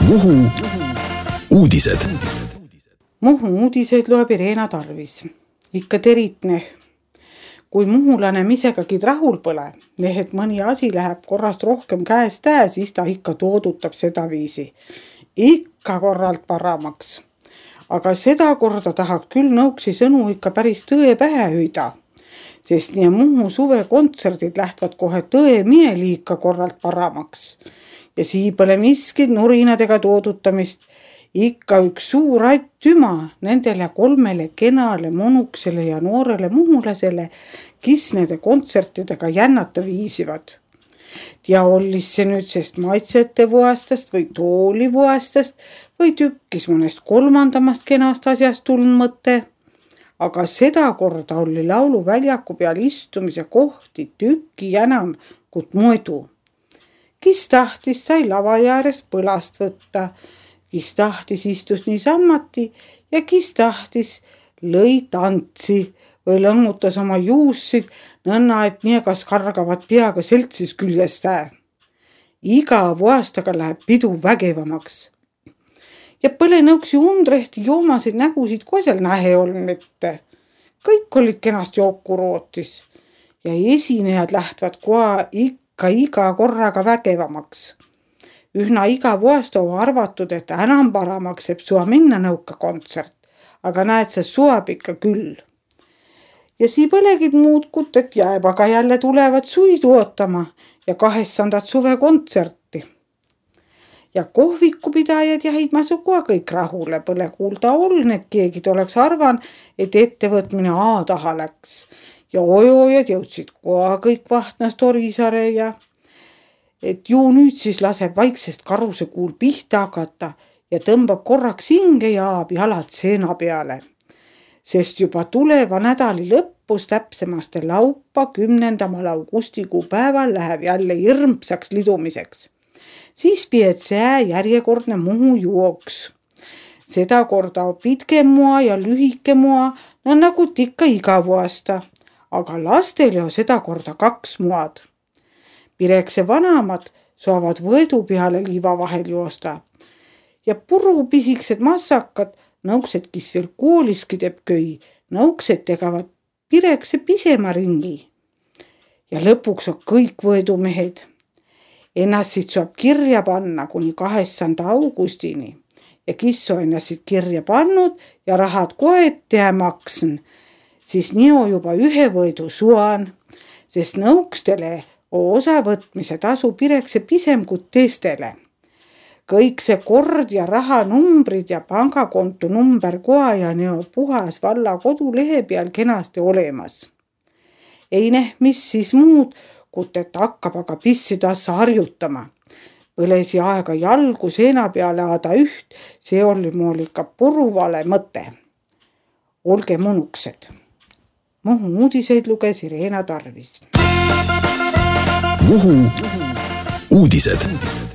Muhu uudised. Muhu uudiseid loeb Irena Tarvis. Ikka teritne. Kui muhulane misegagi rahul pole, et mõni asi läheb korrast rohkem käest siis ta ikka toodutab seda viisi. Ikka korralt paramaks. Aga seda korda tahab küll nõuksi sõnu ikka päris tõe pähe hüüda. Sest nii Muhu suvekontserdid lähtvad kohe tõe mieliika korralt paramaks. Ja sii pole miskid nurinadega toodutamist. Ikka üks suur aitüma nendele 3 kenale monuksele ja noorele muhulasele, kes nende kontsertidega jännata viisivad. Ja ollis see nüüd sest maitsete vuastast või tooli vuastast või tükkis mõnest 3. kenast asjast tulnud mõte. Aga seda korda oli lauluväljaku peal istumise kohti tükki enam kui muidu. Kes tahtis, sai lava äärest põlast võtta, kes tahtis, istus niisammati ja kes tahtis, lõi tantsi või lõngutas oma juussid nõnna, et niegas kargavad peaga seltsis küljest . Iga aastaga läheb pidu vägevamaks. Ja põle nõuksi undrehti joomasid nägusid koosel nähe olnud mitte. Kõik olid kenast jooku rootis ja esinejad lähtvad koha ikka iga korraga vägevamaks. Ühna iga aasta on arvatud, et enam paramaks saab sua minna nõuka kontsert, aga näed, see suab ikka küll. Ja sii põlegid muud kut, et jääb, aga jälle tulevad suidu ootama ja 200 suvekontserti. Ja kohvikupidajad jäid masukua kõik rahule, põle kuulda oln, et keegid oleks arvan, et ettevõtmine taha läks. Ja ojojad jõudsid koha kõik vahtnast Orisare ja et ju nüüd siis laseb vaiksest karuse kuul pihta hakata ja tõmbab korraks hinge ja aab jalad seena peale. Sest juba tuleva nädali lõppus täpsemaste laupa 10. augustikuu päeval läheb jälle hirmsaks lidumiseks. Siis pied see järjekordne Muhu jooks. Seda korda on pitke mua ja lühike mua, nagu ikka iga aasta, aga lastele on seda korda 2 muad. Pirekse vanamad saavad võedu peale liiva vahel joosta. Ja purupisiksed massakad, nõuksed, kes veel kooliski teeb köi, nõuksed tegavad pirekse pisema ringi. Ja lõpuks on kõik võedumehed. Ennast saab kirja panna kuni 2. augustini. Ja kes on ennast kirja pannud ja rahad kohe ette maksen, siis nii on juba 1 võedu suan, sest nõukstele osavõtmise tasu pirekse pisem kui teistele. Kõik see kord ja rahanumbrid ja pangakonto number koha ja neo puhas valla kodulehe peal kenasti olemas. Ei mis siis muud, kui et hakkab aga pissi tassa harjutama. Põlesi aega jalgu seena peale aada üht, see oli mul ikka puruvale mõte. Olge monuksed. Muhu uudiseid luges Irena Tarvis. Muhu uudised.